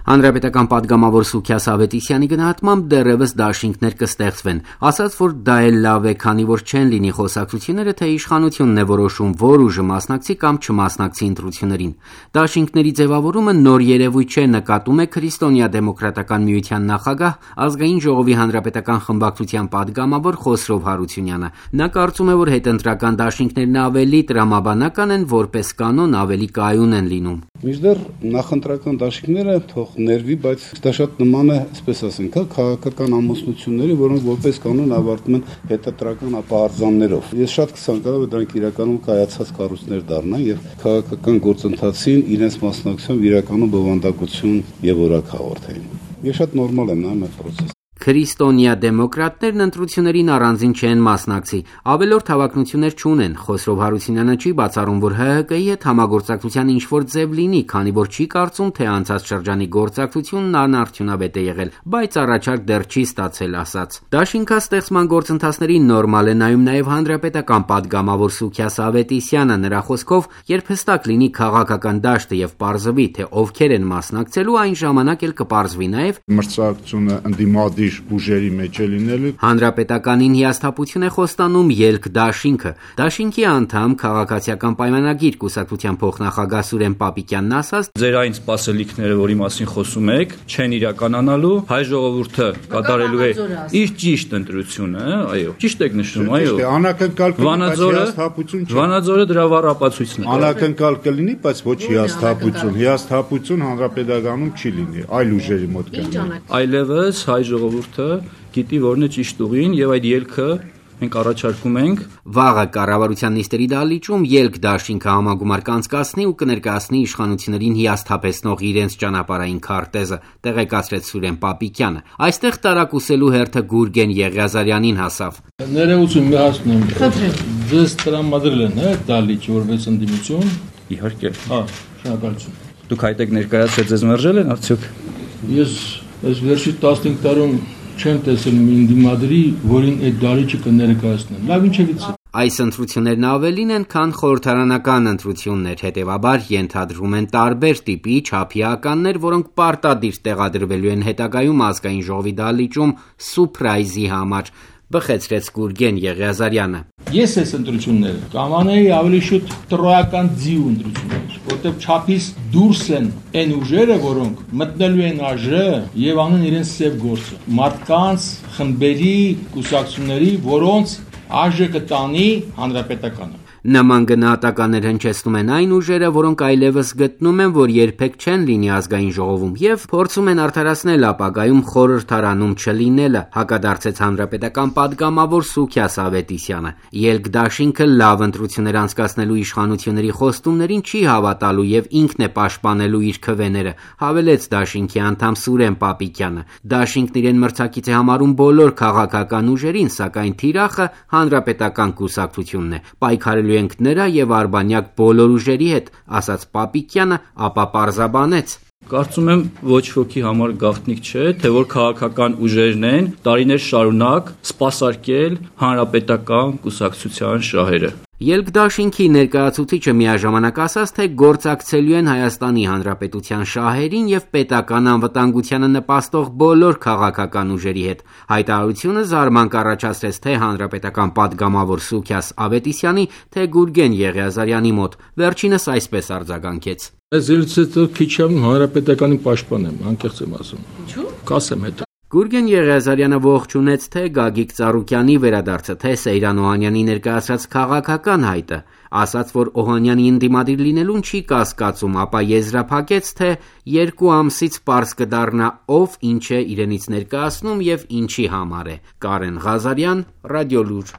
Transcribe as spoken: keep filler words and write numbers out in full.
Հանրապետական պատգամավոր Սուքիաս Ավետիսյանի գնահատմամբ դեռևս դաշինքներ կստեղծվեն, ասաց, որ դա էլ լավ է, քանի որ չեն լինի խոսակցությունները, թե իշխանությունն է որոշում, որ ուժը մասնակցի կամ չմասնակցի ընտրություններին։ Դաշինքների ձևավորումը նոր երևույթ չէ, նկատում է Քրիստոնյա-դեմոկրատական միության նախագահ, ազգային ժողովի հանրապետական խմբակցության պատգամավոր Խոսրով Հարությունյանը։ Նա կարծում է, որ հետընտրական դաշինքներն ավելի տրամաբանական են, որպես կանոն ավելի կայուն են լինում։ Մինչդեռ նախընտրական դաշինքները թող ներվի, բայց դա շատ նման է, այսպես ասենք, քաղաքական ամուսնությունների, որոնք որպես կանոն ավարտում են հետընտրական ապահարզաններով։ Ես շատ կցանկանամ, որ դրանք իրականում կայացած կառույցներ դառնան եւ քաղաքական գործընթացին իրենց մասնակցությամբ իրականում բովանդակություն եւ օրակ հաղորդեն։ Ես շատ նորմալ եմ նայում այդ process-ը։ Քրիստոնյա-դեմոկրատներն ընտրություններին առանձին չեն մասնակցի, ավելորդ հավակնություններ չունեն։ Խոսրով Հարությունյանը չի բացառում, որ Հ Հ Կ-ի հետ համագործակցության ինչ-որ ձև լինի, քանի որ չի կարծում, թե անցած շրջանի գործակցությունն անարդյունավետ է եղել, բայց առաջարկ դեռ չի ստացել, ասաց։ Դաշինքաստեղծման գործընթացներին նորմալ է նայում նաև հանրապետական պատգամավոր Սուքիաս Ավետիսյանը։ Նրա խոսքով, երբ հստակ լինի քաղաքական դաշտը եւ պարզվի, թե ովքեր են մասնակցելու, այն ժամանակ էլ կպարզվի նաև մրցակցությունը ընդդիմադիր ուժերի մեջ է լինելու։ Հանրապետականին հիասթափություն է խոստանում ելք դաշինքը։ Դաշինքի անդամ քաղաքացիական պայմանագիր կուսակցության փոխնախագահ Սուրեն Պապիկյանն ասաց. Ձեր այն սպասելիքները, որի մասին խոսում եք, չեն իրականանալու, հայ ժողովուրդը կատարելու է իր ճիշտ ընտրությունը, այո, ճիշտ եք նշում, այո։ Անակնկալ հիասթափություն չէ։ Վանաձորը դրա վառ ապացույցն է։ Անակնկալ կլինի, բայց ոչ հիասթափություն։ Հիասթափություն հանրապետականում չի լինի, այլ ուժերի մոտ կլինի։ Այլևս հայ ժողովուրդը գիտի որն է ճիշտ ուղին եւ այդ ելքը մենք առաջարկում ենք։ Վաղը կառավարության նիստերի դահլիճում ելք դաշինքը համագումար կանցկացնի ու կներկայացնի իշխանություններին հիասթափեցնող իրենց ճանապարհային քարտեզը, տեղեկացրեց Սուրեն Պապիկյանը։ Այստեղ տարակուսելու հերթը Գուրգեն Եղիազարյանին հասավ։ Ներողություն մի հասնում եմ։ Ձեզ տրամադրել են, հա, դահլիճ որպես ընդդիմություն։ Իհարկե։ Հա, շնորհակալություն։ Դուք այդտեղ ներկայացրել ձեզ մերժել են արդյոք։ Ես այս վերջի տասնհինգ տարում չեմ տեսել մի ընդդիմադրի, որին այդ դահլիճը կներկայացնեն։ Լավ ինչևից։ Այս ընտրություններն ավելին են, քան խորհրդարանական ընտրություններ, հետևաբար ենթադրվում են տարբեր տիպի չափի ականներ, որոնք պարտադիր տեղադրվելու են հետագայում ազգային ժողովի դահլիճում սուրպրայզի համար, բխեցրեց Գուրգեն Եղիազարյանը։ Ես այս ընտրությունները կանոնեի ավելի շուտ տրոյական ձիու ընտրություններ, որտեղ չափից դուրս են այն ուժերը, որոնք մտնելու են ԱԺ եւ անում իրենց սև գործը։ Մարդկանց, խմբերի, կուսակցությունների, որոնց ԱԺ կտանի հանրապետականը։ Նման գնահատականներ հնչեցնում են այն ուժերը, որոնք այլևս գտնում են, որ երբեք չեն լինի ազգային ժողովում եւ փորձում են արդարացնել ապագայում խորհրդարանում չլինելը, հակադարձեց հանրապետական պատգամավոր Սուքիաս Ավետիսյանը։ Ելք դաշինքը լավ ընտրություններ անցկացնելու իշխանությունների խոստումներին չի հավատալու եւ ինքն է պաշտպանելու իր քվեները, հավելեց դաշինքի անդամ Սուրեն Պապիկյանը։ Դաշինքն իրեն մրցակից է համարում բոլոր քաղաքական ուժերին, սակայն թիրախը հանրապետական կուսակցությունն է։ Պայքարելու ենք նրա եւ արբանյակ բոլոր ուժերի հետ, ասաց Պապիկյանը, ապա պարզաբանեց. Կարծում եմ ոչ ոքի համար գաղտնիք չէ, թե որ քաղաքական ուժերն են տարիներ շարունակ սպասարկել հանրապետական կուսակցության շահերը։ Ելք դաշինքի ներկայացուցիչը միաժամանակ ասաց, թե գործակցելու են Հայաստանի Հանրապետության շահերին եւ պետական անվտանգությանը նպաստող բոլոր քաղաքական ուժերի հետ։ Հայտարարությունը զարման կառաջացրեց թե հանրապետական պատգամավոր Սուքիաս Ավետիսյանի, թե Գուրգեն Եղիազարյանի մոտ։ Վերջինս այսպես արձագանքեց. Ես ելցեցը քիչ եմ հանրապետականի պաշտպան եմ, անկեղծ եմ ասում։ Ինչու՞։ Կասեմ հետո։ Գուրգեն Եղիազարյանը ողջունեց թե Գագիկ Ծառուկյանի վերադարձը, թե Սեյրան Օհանյանի ներկայացրած քաղաքական հայտը, ասաց, որ Օհանյանի ընդդիմադիր լինելուն չի կասկածում, ապա եզրափակեց, թե երկու ամսից պարզ կդառնա ով ինչ է իրենից ներկայացնում եւ ինչի համար է։ Կարեն Ղազարյան, Ռադիոլուր։